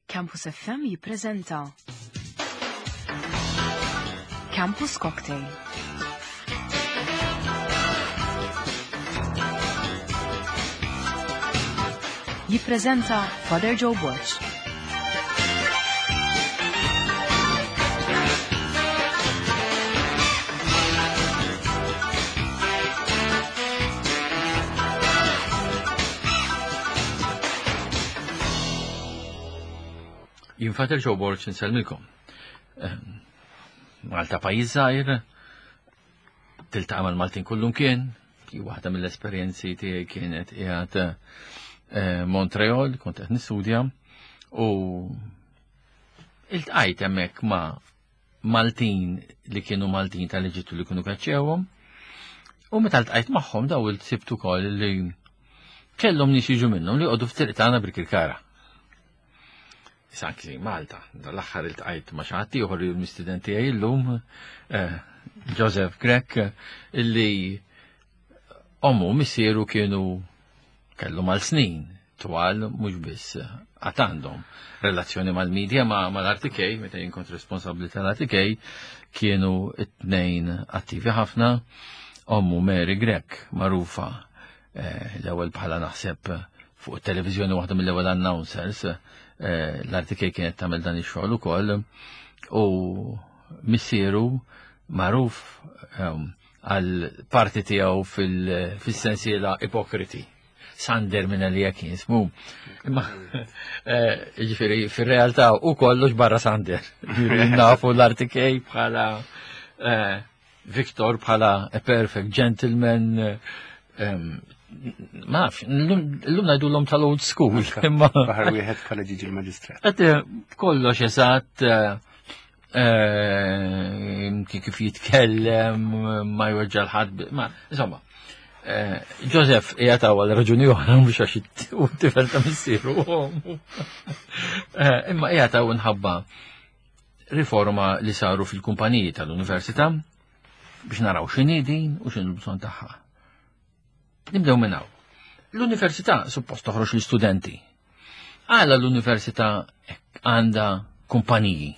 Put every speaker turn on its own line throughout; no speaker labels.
Campus FM jippreżenta Campus Cocktail. Jippreżenta Father Joe Borg.
Jien Fater Joe Borg insellmilkom. Ehm, Malta pajjiż żgħir, tiltaqa' mal-Maltin kullum kien, waħda mill-esperjenzi tiegħi kienet qiegħed eh, Montreal, kont qed nistudja, u iltqajt hemmhekk ma' Maltin li kienu Maltin tal-Eġittu li kienu kaċċewhom. U meta ltqajt magħhom daw il-sibt ukoll li kellhom nies jiġu minnhom li jqogħdu f'triq tagħna Birkirkara. Issa anki Malta, dal-aħħar iltqajt ma' xi ħadd ieħor li l-mistiden tiegħi llum, eh, Joseph Grech, illi ommu missieru kienu kellu mal-snin twal mhux biss għad għandhom relazzjoni mal-medja ma mal-RTK, meta jien kont responsabbli tal-RTK, kienu it-tnejn attivi ħafna, ommu Mary Grech, magħrufa eh, l-ewwel bħala naħseb fuq it-televiżjoni waħda mill-ewwel announcers, eh, l-RTK kienet tagħmel dan ix-xogħol ukoll, u missieru magħruf ehm, għal parti tiegħu fil-sensiela Ipokriti. Sander minn għalija kien ismu. Imma, eh, ġifiri, fil-realtà u kollox barra Sander. Ġifiri, nafu l-RTK bħala eh, Victor bħala a perfect gentleman. Eh, ma nafx, l-lum najdu l-lum tal-old school.
Imma. Baħar wieħed bħala ġiġi l-maġistrat.
Kollox eżatt, Eh, kif jitkellem, ma jweġġa l-ħadd, ma, insomma. Eh, Joseph qiegħed għal raġuni oħra mhux għax u tifel ta' missieru. Eh, imma qiegħed hawn nħabba riforma li saru fil-kumpaniji tal-università biex naraw x'inhi din u x'inhu l-bżonn tagħha. Nibdew minn hawn. L-università suppost toħroġ l-istudenti. Għala l-università għandha kumpaniji?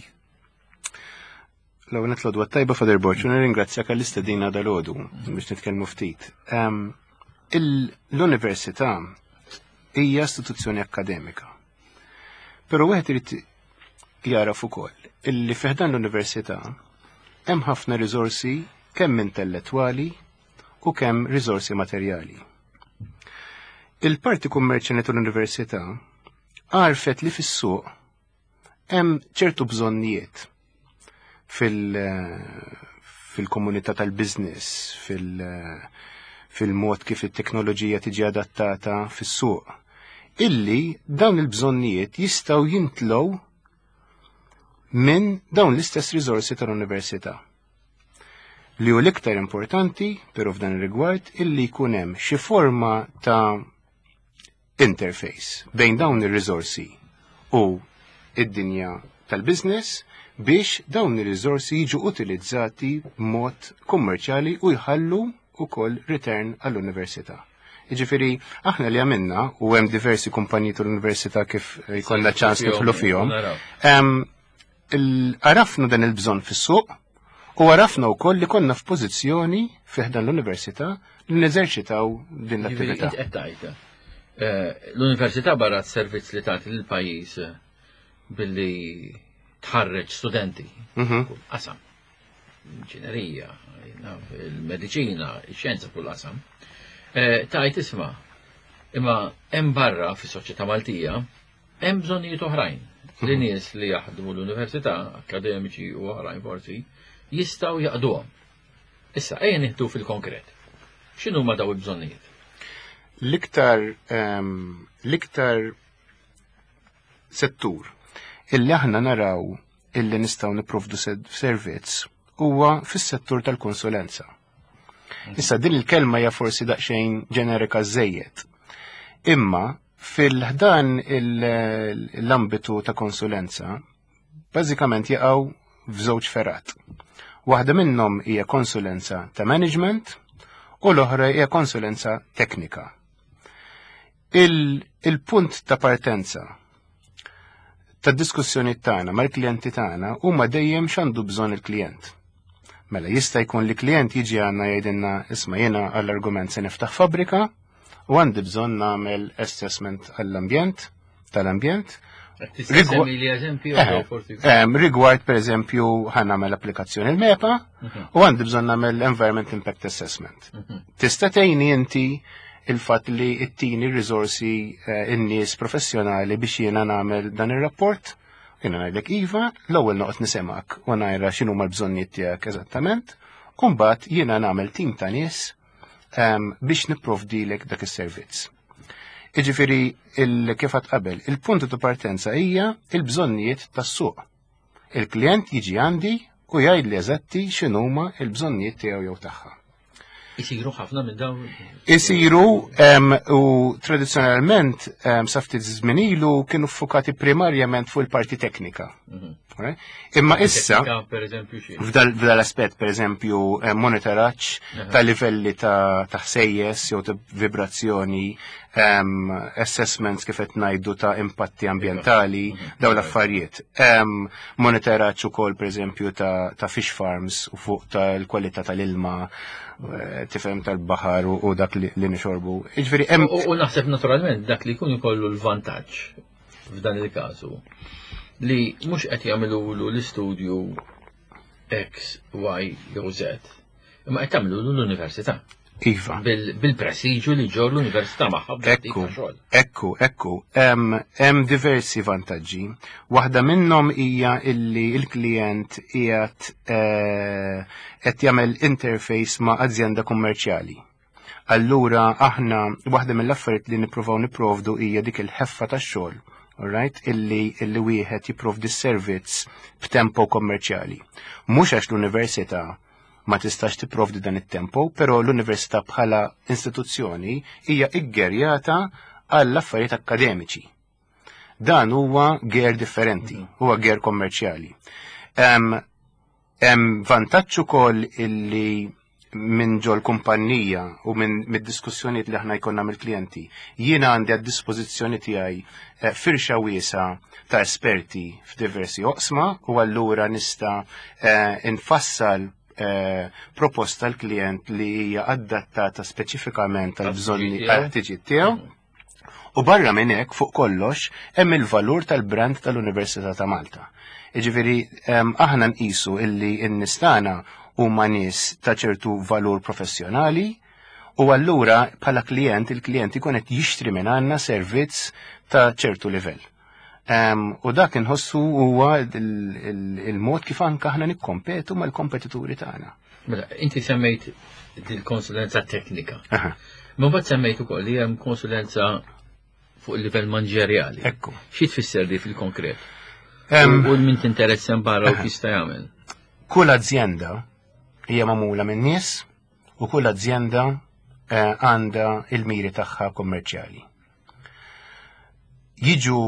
L-ewwel nett l tajba Father Borg, u nirringrazzjak għall-istedina dal-għodu biex nitkellmu ftit. Ehm, l-università hija istituzzjoni akkademika. Però wieħed irid jaraf ukoll illi fiħdan l-università hemm ħafna riżorsi kemm intellettwali u kemm riżorsi materjali. Il-parti kummerċjali tal-università għarfet li fis-suq hemm ċertu bżonnijiet fil-komunità tal-biznis, fil-mod kif it-teknoloġija tiġi adattata fis-suq, illi dawn il-bżonnijiet jistgħu jintlow minn dawn l-istess riżorsi tal-università. Li hu l-iktar importanti, però f'dan ir-rigward, illi jkun hemm xi forma ta' interface bejn dawn ir-riżorsi u id-dinja tal-business biex dawn ir-riżorsi jiġu utilizzati b'mod kummerċjali u jħallu ukoll return għall-università. Jiġifieri aħna li għamilna u hemm diversi kumpaniji tal-università kif jkollna ċans nidħlu fihom. Għarafna dan il-bżonn fis-suq u għarafna wkoll li konna f'pożizzjoni fih dan l-università li neżerċitaw din l-attività.
Eh, l-università barra s-servizz li tagħti lill-pajjiż eh, billi tħarreġ studenti. Mhm. Qasam. Inġinerija, il-mediċina, ix-xjenza kull qasam. Eh, tajt isma' imma hemm barra fis-soċjetà Maltija Hemm bżonnijiet oħrajn li mhm. nies li jaħdmu l-università, akademiċi u oħrajn forsi, jistgħu jaqduhom. Issa, ejja nieħdu fil-konkret. X'inhu ma daw il-bżonnijiet?
L-iktar ehm, l-iktar settur illi aħna naraw illi nistgħu nipprovdu servizz huwa fis-settur tal-konsulenza. Issa din il-kelma hija forsi daqsxejn ġenerika żejjed. Imma Fil-ħdan l-ambitu ta' konsulenza, bażikament jaqgħu f'żewġ fergħat. Waħda minnhom hija konsulenza ta' management u l-oħra hija konsulenza teknika. Il-punt ta' partenza tad-diskussjoni tagħna mal-klijenti tagħna huma dejjem x'għandu bżonn il-klijent. Mela jista' jkun li klijent jiġi għandna jgħidilna isma' jiena għall-argument se niftaħ fabbrika u għandi bżonn nagħmel assessment għall-ambjent tal-ambjent. Rigward per eżempju ħan nagħmel applikazzjoni l-MEPA u għandi bżonn nagħmel Environment Impact Assessment. Tista' tgħinni inti il-fatt li ttini r-riżorsi in-nies professjonali biex jiena nagħmel dan ir-rapport? Jiena ngħidlek iva, l-ewwel noqgħod nisimgħek u ngħajra x'inhuma l-bżonnijiet tiegħek eżattament, u mbagħad jiena nagħmel tim ta' nies biex nipprovdilek dak is-servizz. Iġifieri kif għad qabel, il-punt ta' partenza hija il-bżonnijiet tas-suq. Il-klient jiġi għandi u jgħidli eżatti x'inhuma l-bżonnijiet tiegħu jew tagħha.
Isiru ħafna minn dawn?
Isiru u tradizzjonalment sa ftit żmien ilu kienu ffukati primarjament fuq il-parti teknika. Imma issa f'dal aspett pereżempju monitoraġġ ta' livelli ta' ħsejjes jew ta' vibrazzjoni, assessments kif qed ngħidu ta' impatti ambjentali, dawn l-affarijiet. Monitoraġġ ukoll pereżempju ta' fish farms u fuq tal-kwalità tal-ilma, tifhem tal-baħar u dak li nixorbu. Jiġifieri hemm
U naħseb naturalment dak li jkun ikollu l-vantaġġ f'dan il-każu li mhux qed jagħmlulu l-istudju X, Y jew Z, imma qed tagħmlulu l-università.
Iva.
Bil-prestiġu li ġor l-università magħha.
Ekku, ekku, ekku. Hemm diversi vantaġġi. Waħda minnhom hija illi l-klijent qiegħed qed jagħmel interface ma' azjenda kummerċjali. Allura aħna waħda mill-affarijiet li nippruvaw nipprovdu hija dik il-ħeffa tax-xogħol, alright, illi illi wieħed jipprovdi s-servizz b'tempo kommerċjali. Mhux għax l-università ma tistax tipprovdi dan it-tempo, però l-università bħala istituzzjoni hija iggerjata għall affarijiet akkademiċi. Dan huwa ger differenti, huwa ger kommerċjali. Hemm vantaġġ ukoll illi minn ġol kumpanija u minn mid-diskussjonijiet li aħna jkollna mill-klijenti, jiena għandi għad-dispożizzjoni tiegħi firxa wiesa ta' esperti f'diversi oqsma u allura nista' nfassal proposta l-klient li hija adattata speċifikament għal bżonni għal-ħtiġijiet tiegħu. U barra minn hekk fuq kollox hemm il-valur tal-brand tal-Università ta' Malta. Jiġifieri aħna nqisu illi n-nies tagħna huma nies ta' ċertu valur professjonali u allura bħala klient il-klient ikun qed jixtri minn għandna servizz ta' ċertu livell. U dak inħossu huwa il-mod kif anke aħna nikkompetu mal-kompetituri tagħna.
Mela, inti semmejt il-konsulenza teknika. Ma mbagħad semmejt ukoll li hemm konsulenza fuq il-livell manġerjali.
Ekku.
Xi tfisser di fil-konkret? U min tinteressa barra u jista' jagħmel?
Kull azienda hija magħmula minn nies u kull azienda għandha il-miri tagħha kommerċjali. Jiġu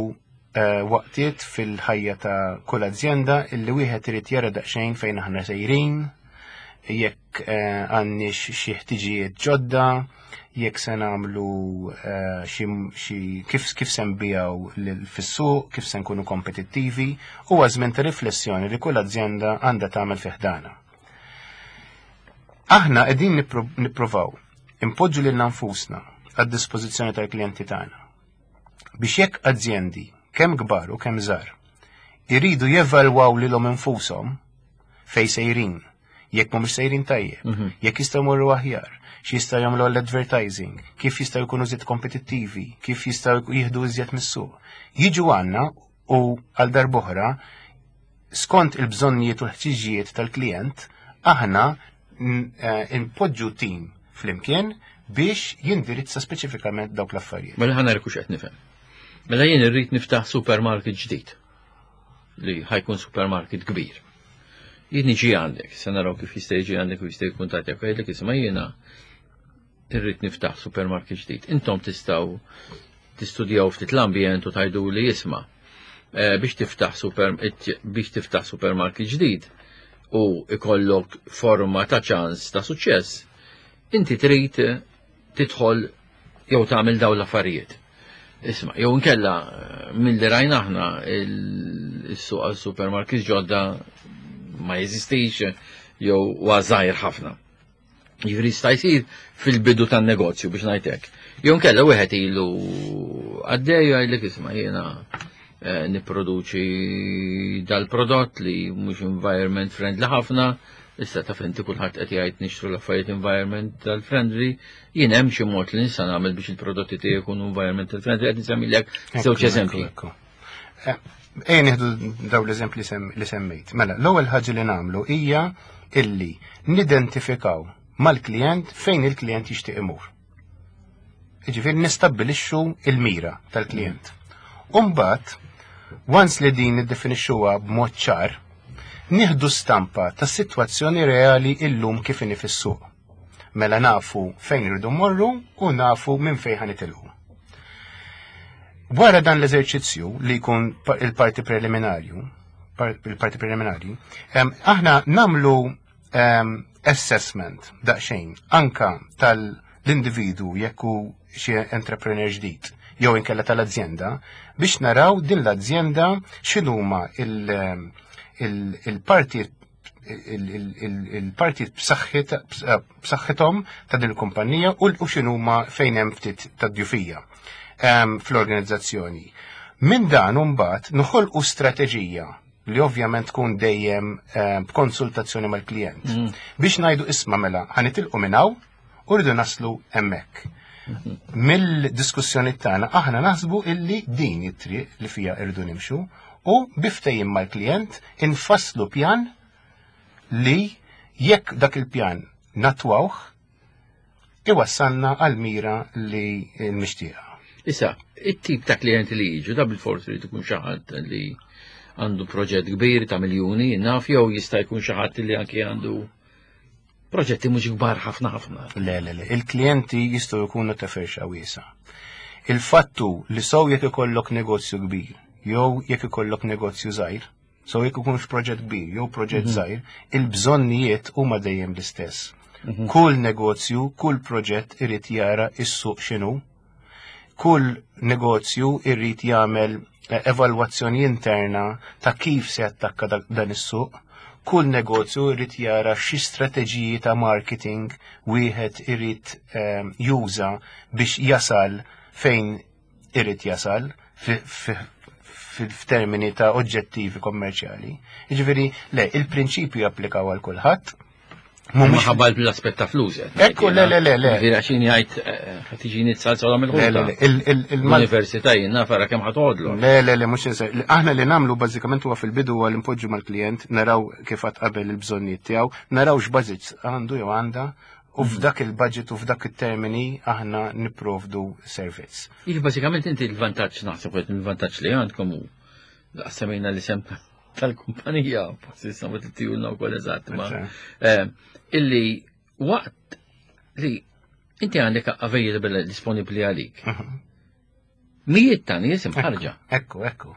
waqtiet fil-ħajja ta' kull azienda illi wieħed irid jara daqsxejn fejn aħna sejrin, jekk għandniex xi ħtiġijiet ġodda, jekk se nagħmlu xi kif se nbijaw fis-suq, kif se nkunu kompetittivi, huwa żmien ta' riflessjoni li kull azienda għandha tagħmel fi ħdana. Aħna qegħdin nippruvaw impoġġu lilna nfusna għad-dispożizzjoni tal-klijenti tagħna biex jekk azjendi kemm kbar u kemm żgħar iridu jevalwaw lilhom infushom fejn sejrin, jekk mhumiex sejrin tajjeb, jekk jistgħu jmorru aħjar, x'jistgħu jagħmlu għall-advertising, kif jistgħu jkunu iżjed kompetittivi, kif jistgħu jieħdu iżjed mis-suq. Jiġu għandna u għal darb'oħra skont il-bżonnijiet u l-ħtiġijiet tal-klient, aħna npoġġu tim flimkien biex jindirizza speċifikament dawk l-affarijiet.
Mela ħa nara hux qed nifhem. Mela jien irrid niftaħ supermarket ġdid li ħa jkun supermarket kbir. Jien niġi għandek, se naraw kif jista' jiġi għandek u jista' jkun tagħti jgħidlek isma' jiena irrid niftaħ supermarket ġdid. Intom tistgħu tistudjaw ftit l-ambjent u tgħidu li jisma' biex tiftaħ supermarket ġdid u ikollok forma ta' ċans ta' suċċess, inti trid tidħol jew tagħmel dawn l-affarijiet. Isma, jew inkella milli rajna aħna il-suq għal supermarkets ġodda ma jeżistix jew huwa żgħir ħafna. Jiġifieri jista' jsir fil-bidu tan-negozju biex ngħid hekk. Jew inkella wieħed ilu għaddej jgħidlek isma' jiena eh, nipproduċi dal-prodott li mhux environment friendly ħafna, issa taf inti kulħadd qed jgħid nixtru l-affarijiet environmental friendly, jien hemm xi mod li nista' nagħmel biex il-prodotti tiegħi jkunu environmental friendly qed nsemmilek żewġ eżempji.
Eh, ejja nieħdu daw l-eżempji li semmejt. Mela, l-ewwel ħaġa li nagħmlu hija illi nidentifikaw mal-klient fejn il-klient jixtieq imur. Jiġifieri nistabbilixxu il-mira tal-klient. U mbagħad, once li din niddefinixxuha b'mod ċar, nieħdu stampa tas-sitwazzjoni reali illum kif inhi fis-suq. Mela nafu fejn irridu mmorru u nafu minn fejn ħa nitilqu. Wara dan l-eżerċizzju li jkun il-parti preliminarju, il-parti preliminari, aħna namlu assessment daqsxejn anka tal-individu jekk hu xi entrepreneur ġdid jew inkella tal-azjenda biex naraw din l-azjenda x'inhuma il-parti il-parti b'saħħithom ta' din il-kumpanija u x'inhuma fejn hemm ftit ta' djufija fl-organizzazzjoni. Minn dan mbagħad noħolqu strateġija li ovvjament tkun dejjem b'konsultazzjoni mal-klijent. Biex ngħidu isma' mela ħanitilqu minn hawn u rridu naslu hemmhekk. Mill-diskussjoni tagħna aħna naħsbu illi din it-triq li fija rridu nimxu u biftejjim mal-klijent infasslu pjan li jekk dak il-pjan natwawh iwassalna għal mira li l-mixtieqa.
Issa, it-tip ta' klijenti li jiġu, da bil-forsi li tkun xi ħadd li għandu proġett kbir ta' miljuni, naf jew jista' jkun xi ħadd li anki għandu proġetti mhux kbar ħafna ħafna.
Le, le, le, il-klijenti jistgħu jkunu ta' firxa wiesa. Il-fattu li sew jekk ikollok negozju kbir jew jekk ikollok negozju żgħir, sew jekk ikunx proġett kbir jew proġett mhm. żgħir, il-bżonnijiet huma dejjem l-istess. Mhm. Kull negozju, kull proġett irid jara is-suq x'inhu. Kull negozju irid jagħmel eh, evalwazzjoni interna ta' kif se jattakka dan is-suq. Kull negozju irid jara xi strateġiji ta' marketing wieħed irid eh, juża biex jasal fejn irid jasal f'termini ta' oġġettivi kommerċjali. Jiġifieri, le, il-prinċipju japplikaw għal kulħadd.
Mhumiex ħabba l-aspett ta' flus.
Ekku, le, le, le, le.
Jiġifieri għax jien jgħid eh, ħad tiġini tsalza mill Le, le, l-università jien naf ara kemm ħatgħodlu.
Le, le, le, mhux Aħna li nagħmlu bażikament huwa fil-bidu huwa li npoġġu mal-klijent, naraw kif qatt qabel il-bżonnijiet tiegħu, naraw x'bażit għandu jew għandha U f'dak il-budget u f'dak it-termini aħna nipprovdu servizz.
Iġ bażikament inti l-vantaġġ naħseb qed il-vantaġġ li għandkom hu semmejna l-isem tal-kumpanija, forsi issa ma tittijulna wkoll eżatt ma eh, illi waqt li inti għandek available disponibbli għalik. Mhm. Mijiet ta' nies imħarġa.
Ekku, ekku.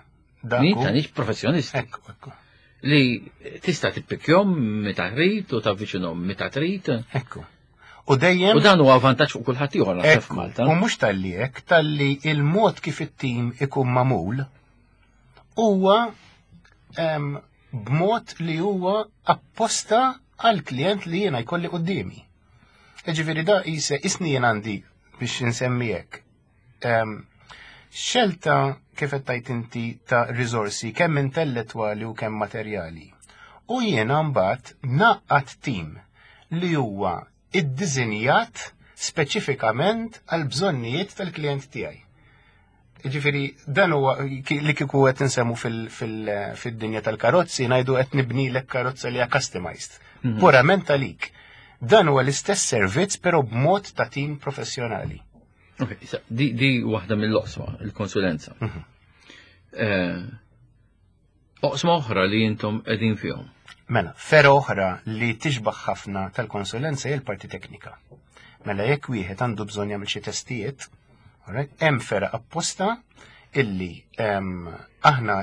Mijiet ta' nies professjonisti.
Ekku, ekku.
Li tista' tippikjhom meta trid u tavviċinhom meta trid.
Ekku. U dejjem.
U dan huwa vantaġġ fuq kulħadd ieħor naħseb f'Malta.
U mhux talli hekk, talli il-mod kif it-tim ikun magħmul huwa b'mod li huwa apposta għal klient li jiena jkolli qudiemi. Ġifieri da jise isni jien għandi biex insemmi hekk. Xelta kif qed tgħid inti ta' riżorsi kemm intellettwali u kemm materjali. U jiena mbagħad naqqat tim li huwa iddiżinjat speċifikament għal bżonnijiet tal-klijent tiegħi. Ġifieri dan huwa li kieku qed insemmu fil-dinja tal-karozzi ngħidu qed nibnilek karozza li hija customized. Mhm. Purament għalik. Dan huwa l-istess servizz però b'mod ta' tim professjonali.
Ok, di, di waħda mill-oqsma, il-konsulenza. Mhm. Eh, oqsma oħra li jintom edin fihom.
Mela, fera oħra li tixbaħ ħafna tal-konsulenza hija l-parti teknika. Mela jekk wieħed għandu bżonn jagħmel xi testijiet, hemm fera apposta illi aħna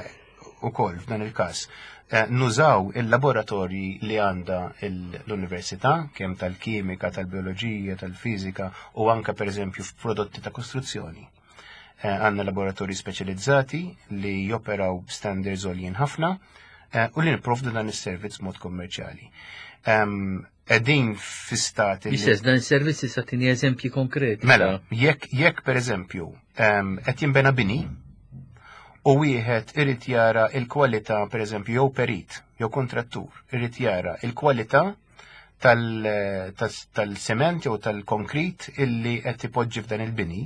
ukoll f'dan il-każ eh, nużaw il-laboratorji li għandha l-università, kemm tal-kimika, tal-bioloġija, tal-fiżika u anka pereżempju f'prodotti ta' kostruzzjoni. Għandna laboratorji speċjalizzati li joperaw b'standards għoljin ħafna u li nipprovdu dan is-servizz b'mod kommerċjali. Qegħdin fi stat li.
Istess, dan is-servizz tista' tini eżempji konkreti.
Mela, jekk pereżempju qed jinbena bini u wieħed irid jara l-kwalità pereżempju jew perit jew kontrattur irid jara l-kwalità tal-sement jew tal-konkrit illi qed ipoġġi f'dan il-bini,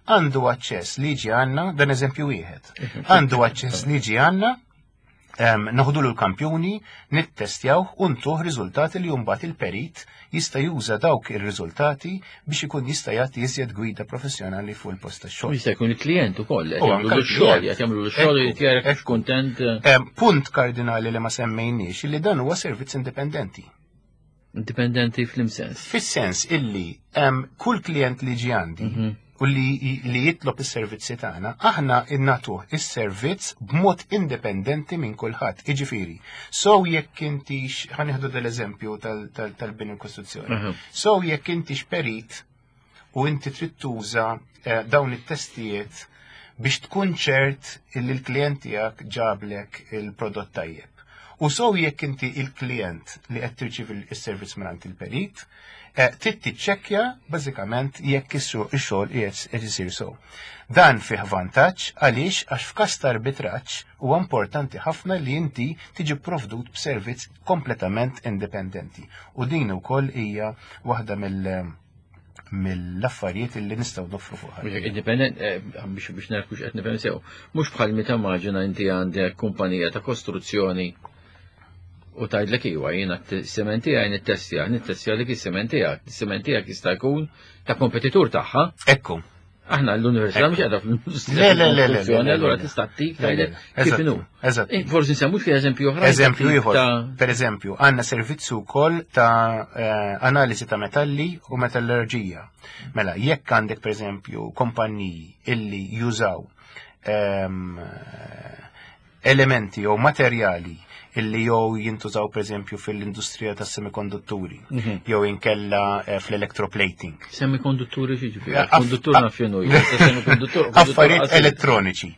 għandu aċċess li jiġi għandna, dan eżempju wieħed. Għandu aċċess li jiġi għandna, noħdulu l-kampjuni, nittestjaw u ntuh riżultati li mbagħad il-perit jista' juża dawk ir-riżultati biex ikun jista' jagħti iżjed gwida professjonali fuq il-post tax-xogħol.
Jista' jkun il-klijent ukoll qed jagħmlu x-xogħol, qed jagħmlu x-xogħol irid jara kuntent.
Punt kardinali li ma semmejniex li dan huwa servizz indipendenti.
Indipendenti fl-imsens.
Fis-sens illi kull klient li ġi għandi u li jitlob is-servizzi tagħna, aħna innatuh is-servizz b'mod indipendenti minn kulħadd. Jiġifieri, so jekk intix, ħa nieħdu dal-eżempju tal-bini u kostruzzjoni. So jekk intix perit u inti trid tuża dawn it-testijiet biex tkun ċert illi l-klient tiegħek ġablek il-prodott tajjeb. U so jekk inti il-klient li qed tirċievi s-servizz mingħand il-perit, trid tiċċekkja bażikament jekk ix-xogħol qiegħed isir sew. Dan fih vantaġġ għaliex għax f'każ ta' arbitraġġ huwa importanti ħafna li inti tiġi pprovdut b'servizz kompletament indipendenti. U din ukoll hija waħda mill-affarijiet li nistgħu noffru fuq ħadd.
Indipendent, biex nara kux qed nifhem sew, mhux bħal meta maġina inti għandek kumpanija ta' kostruzzjoni u tgħidlek iwa jiena s-sement tiegħi nittestja, nittestja lik is-sement tiegħek, is-sement tiegħek jista' jkun ta' kompetitur tagħha.
Ekku.
Aħna l-università mhux qiegħda fl-industrija
Le, le, le, le, le,
tal-kostruzzjoni,
le,
allura
le.
tista' ttik
Le, le,
tgħidlek
le.
kif
Eżatt,
inhu.
eżatt.
Forsi nsemmu xi eżempju oħra.
Eżempju ieħor.
Ta'
Per eżempju, għandna servizzu wkoll ta' analiżi ta' metalli u metallurġija. Mela, jekk għandek per eżempju kompanniji illi jużaw elementi jew materjali illi jew jintużaw per eżempju fil-industrija tas-semikondutturi, jew inkella fl-electroplating.
Semikondutturi xi ġifieri? Konduttur naf x'inhu hija, semikonduttur, konduttur
Affarijiet
qasir.
elettroniċi.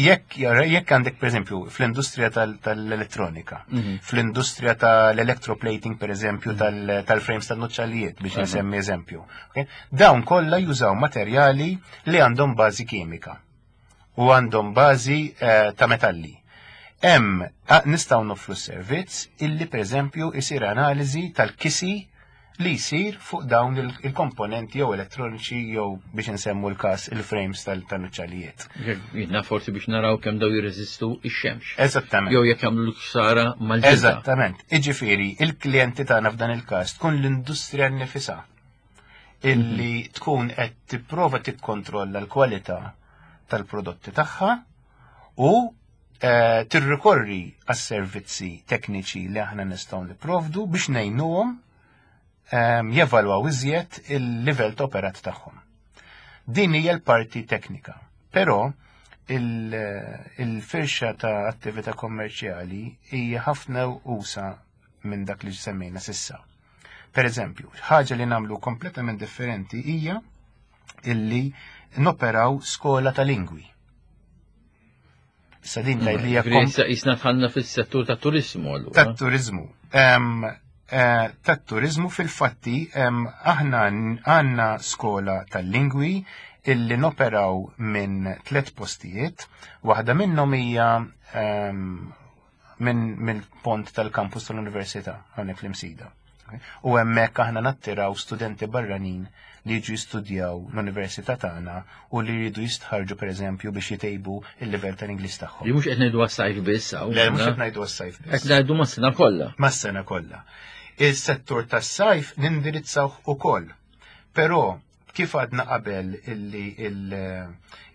Jekk għandek per eżempju fl-industrija tal-elettronika, fl-industrija tal-electroplating per eżempju tal-frames tan-nuċċalijiet biex nsemmi eżempju. Okay? Dawn kollha jużaw materjali li għandhom bażi kimika u għandhom bażi ta' metalli. Hemm nistgħu noffru servizz illi per eżempju isir analiżi tal-kisi li jsir fuq dawn il-komponenti jew elettroniċi jew biex insemmu l-każ il-frames tal-nuċċalijiet.
Jidna forsi biex naraw kemm daw jirreżistu ix-xemx.
Eżattament.
Jew jekk jagħmlu l-ħsara mal-ġilda.
Eżattament. Iġifieri, il-klijenti tagħna f'dan il-każ tkun l-industrija nnifisha illi tkun qed tipprova tikkontrolla l-kwalità tal-prodotti tagħha u tirrikorri għas-servizzi tekniċi li aħna nistgħu nipprovdu biex ngħinuhom jevalwaw iżjed il-livell ta' operat tagħhom. Din hija l-parti teknika. Però il-firxa ta' attività kommerċjali hija ħafna usa minn dak li semmejna sissa. Per eżempju, ħaġa li nagħmlu kompletament differenti hija illi noperaw skola ta' lingwi. Issa din tgħid li hija
Ġifieri issa jisna tħallna fis-settur tat-turiżmu allura.
Tat-turiżmu. Tat-turiżmu fil-fatti, aħna għandna skola tal-lingwi illi noperaw minn 3 postijiet, waħda minnhom hija mill-pont tal-kampus tal-Università hawnhekk fl-Imsida. U hemmhekk aħna nattiraw studenti barranin li jiġu jistudjaw l-università tagħna u li jridu jistħarġu pereżempju biex jitejbu il-livell tal-Ingliż tagħhom.
Li mhux qed ngħidu għas-sajf biss hawn,
Le, mhux
na?
qed ngħidu għas-sajf biss.
Qed ngħidu mas-sena kollha.
Mas-sena kollha. Il-settur tas-sajf nindirizzawh ukoll. Però kif għadna qabel illi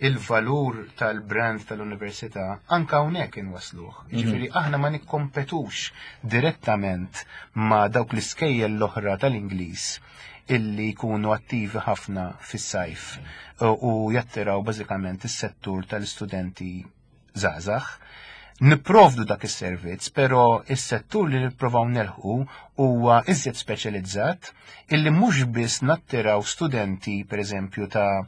il-valur tal-brand tal-università anka hawnhekk inwasluh. Jiġifieri aħna ma nikkompetux direttament ma' dawk l-iskejjel l-oħra tal-Ingliż illi jkunu attivi ħafna fis-sajf u jattiraw bażikament is-settur tal-istudenti żgħażagħ. Nipprovdu dak is-servizz, però is-settur li nipprovaw nelħu huwa iżjed speċjalizzat illi mhux biss nattiraw studenti pereżempju ta'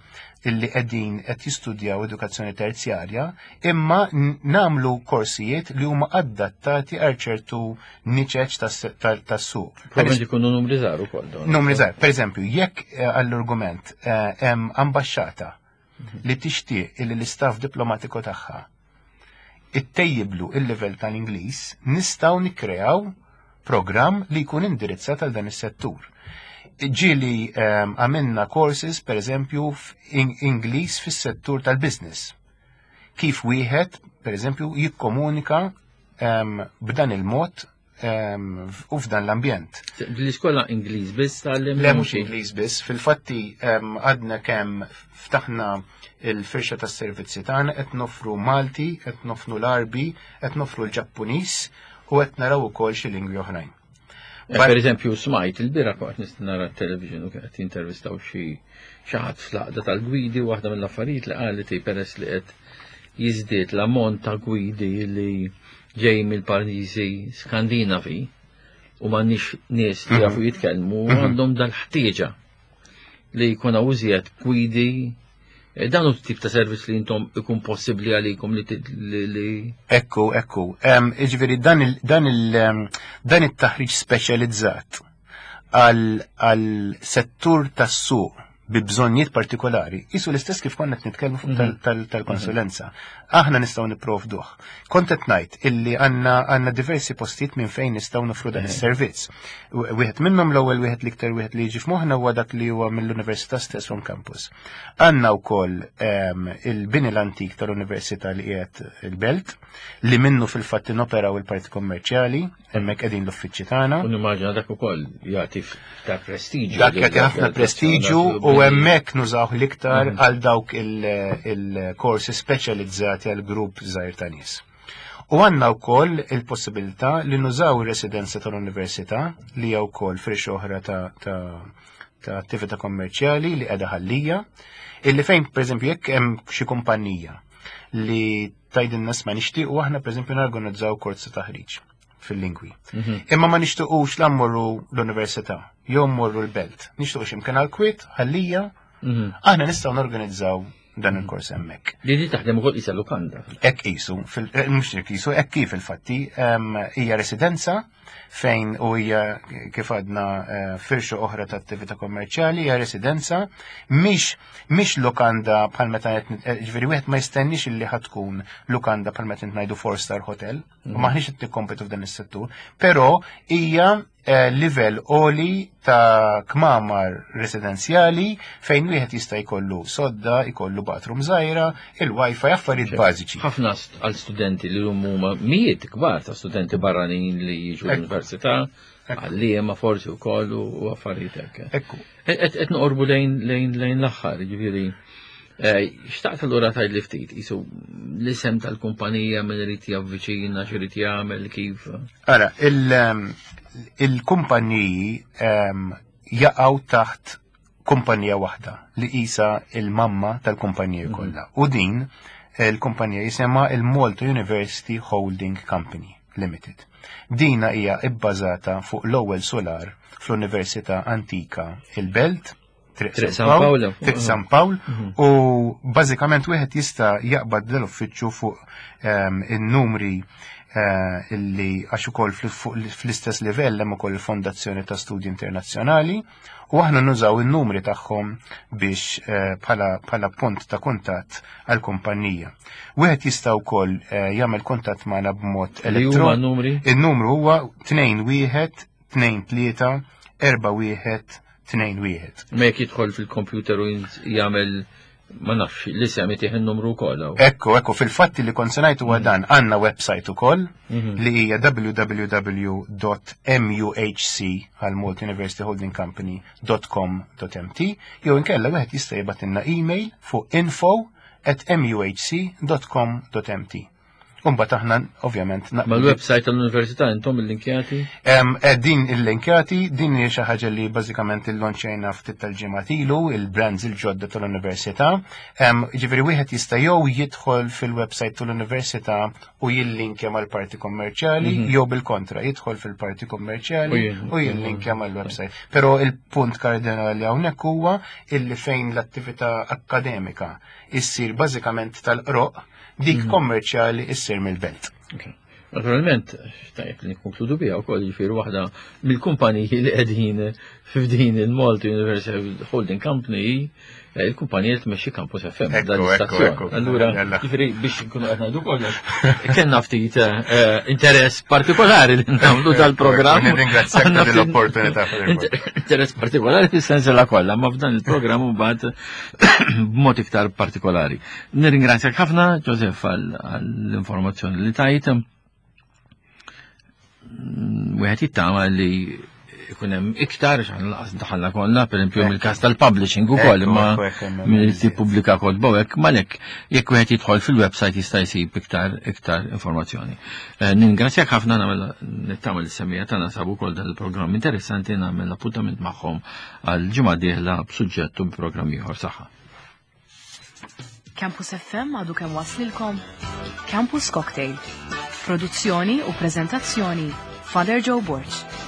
illi qegħdin qed jistudjaw edukazzjoni terzjarja, imma nagħmlu korsijiet li huma adattati għal ċertu niċeċ tas-suq.
Probabbilment ikunu numri żgħar ukoll.
Numri żgħar. Pereżempju, jekk għall-argument hemm ambaxxata li tixtieq illi l-istaff diplomatiku tagħha ittejjiblu il-livell tal-Ingliż, nistgħu nikkreaw programm li jkun indirizzat għal dan is-settur. Ġieli għamilna courses, per eżempju, f'Ingliż fis-settur tal-business. Kif wieħed, per eżempju, jikkomunika b'dan il-mod u f'dan l-ambjent.
L-iskola Ingliż biss tal
Le mhux Ingliż biss, fil-fatti għadna kemm ftaħna il-firxa tas-servizzi tagħna qed nofru Malti, qed nofru l-Arbi, qed nofru l-Ġappuniż u qed naraw ukoll xi lingwi oħrajn.
Per eżempju, smajt il-bira kont nista' nara t-television u qed jintervistaw xi ħadd fl-għaqda tal-gwidi u waħda mill-affarijiet li qalet peress li qed jiżdied l-ammont ta' gwidi li ġej mill-pajjiżi Skandinavi u m'għandniex nies li jafu jitkellmu għandhom dal-ħtieġa li jkun hawn iżjed gwidi. Dan hu tip ta' servizz li intom ikun possibbli għalikom li
Ekku, ekku. Jiġifieri dan it-taħriġ speċjalizzat għal settur tas-suq bi bżonnijiet partikolari, jisu l-istess kif konna qed nitkellmu fuq tal-konsulenza. Aħna nistgħu nipprovduh. Kont qed ngħid illi għandna diversi postijiet minn fejn nistgħu nofru dan is-servizz. Wieħed minnhom l-ewwel wieħed l-iktar wieħed li jiġi f'moħħna huwa dak li huwa mill-Università stess on campus. Għandna wkoll il-bini l-antik tal-Università li qiegħed il-Belt, li minnu fil-fatt inoperaw il-parti kommerċjali, hemmhekk qegħdin l-uffiċċji tagħna.
U nimmaġina dak ukoll jagħti ta' prestiġju.
Dak jagħti ħafna prestiġju u hemmhekk nużawh l-iktar għal dawk il-korsi speċjalizzati għal grupp żgħir ta' nies. U għandna wkoll il-possibilità li nużaw ir-residenza tal-università li hija wkoll firxa oħra ta' attività kommerċjali li qiegħda ħallija, illi fejn pereżempju jekk hemm xi kumpanija li tgħidilna isma' nixtiequ aħna pereżempju norganizzaw kors ta' taħriġ fil-lingwi. Imma ma nixtiequx la mmorru l-università, jew mmorru l-belt. Nixtiequ x'imkien għall-kwiet, ħallija, aħna nistgħu norganizzaw dan il-kors hemmhekk.
Li di taħdem ukoll qisha lukanda.
Hekk qisu, mhux hekk qisu, hekk kif il-fatti, hija residenza fejn u hija kif għadna firxa oħra ta' attività kommerċjali, hija residenza, mhix lukanda bħal meta qed ġifieri wieħed ma jistenniex illi ħad tkun lukanda bħal meta qed ngħidu four star hotel, u maħniex qed nikkompetu f'dan is-settur, però hija livell għoli ta' kmamar residenzjali fejn wieħed jista' jkollu sodda, jkollu bathroom żgħira, il-wifi, affarijiet bażiċi.
Ħafna għal studenti li huma mijiet kbar ta' studenti barranin li jiġu l-università, għalliema forsi wkoll u affarijiet hekk. Qed noqorbu lejn l-aħħar, jiġifieri. Xtaqt allura tgħid li ftit, qisu l-isem tal-kumpanija min irid javviċina, x'irid jagħmel, kif?
Ara, il-kumpaniji jaqgħu taħt kumpanija waħda li qisha il-mamma tal-kumpanija kollha. U din il-kumpanija jisimha il-Malta University Holding Company Limited. Dina hija bbażata fuq l-ewwel solar fl-Università Antika il-Belt, Triq
Triq
San
San
Pawl,
Pawl.
Triq San Pawl, u bażikament wieħed jista' jaqbad l-uffiċċju fuq in-numri illi għax ukoll fl-istess livell hemm ukoll il-Fondazzjoni ta' Studji Internazzjonali, u aħna nużaw in-numri tagħhom biex bħala punt ta' kuntatt għall-kumpanija. Wieħed jista' wkoll jagħmel kuntatt magħna b'mod
Li huma
elettron-
n-numri?
In-numru huwa tnejn wieħed, tnejn tlieta, erba' wieħed, tnejn wieħed.
Ma jekk jidħol fil-kompjuter u jagħmel, ma nafx, l-isem itih in-numru wkoll hawn.
Ekku, ekku, fil-fatti li kont se ngħid huwa dan, għandna website ukoll li hija w w w dot m u h c għal Malta University Holding Company dot com dot m t, jew inkella wieħed jista' jibgħatilna email fuq info at m u h c dot com dot m t. Umbat aħna ovvjament
Mal-website tal-Università intom il-linkjati?
Eh, din il-linkjati, din hija xi ħaġa li bażikament illonċejna ftit tal-ġimgħat ilu, il-brands il-ġodda tal-Università. Ġifieri wieħed jista' jew jidħol fil-website tal-Università u jillinkja mal-parti kommerċjali jew bil-kontra, jidħol fil-parti kommerċjali u jillinkja mal-website. Però il-punt kardinali hawnhekk huwa illi fejn l-attività akkademika issir bażikament tal-qroq, dik kommerċjali issir mill-belt.
Naturalment, tajjeb li nikkonkludu biha wkoll jiġifieri waħda mill-kumpaniji li qegħdin f'din il-Malta University Holding Company eh, il-kumpanija li tmexxi Campus FM dan l-istazzjon. Allura, jiġifieri biex nkunu qed ngħidu kollox, kellna ftit eh, interess partikolari li nagħmlu dal-programm.
Nirringrazzjak tal-opportunità.
Interess partikolari fis-sens la kollha, ma f'dan il-programm mbagħad b'mod iktar partikolari. Nirringrazzjak ħafna, Joseph, għall-informazzjoni li tajt. Mm, wieħed jittama li ikun hemm iktar x'aħna laqas daħalna kollha, pereżempju mill-każ tal-publishing ukoll imma min irid jippubblika kotba hekk malek jekk wieħed jidħol fil-website jista' jsib iktar iktar informazzjoni. Eh, ningrazzjak ħafna nagħmel nittama li semmija tagħna sabu wkoll dan il-programm interessanti nagħmel appuntament magħhom għal ġimgħa dieħla b'suġġett u b'programm ieħor saħħa.
Campus FM għadu kemm waslilkom Campus Cocktail. Produzzjoni u prezentazzjoni Father Joe Borg.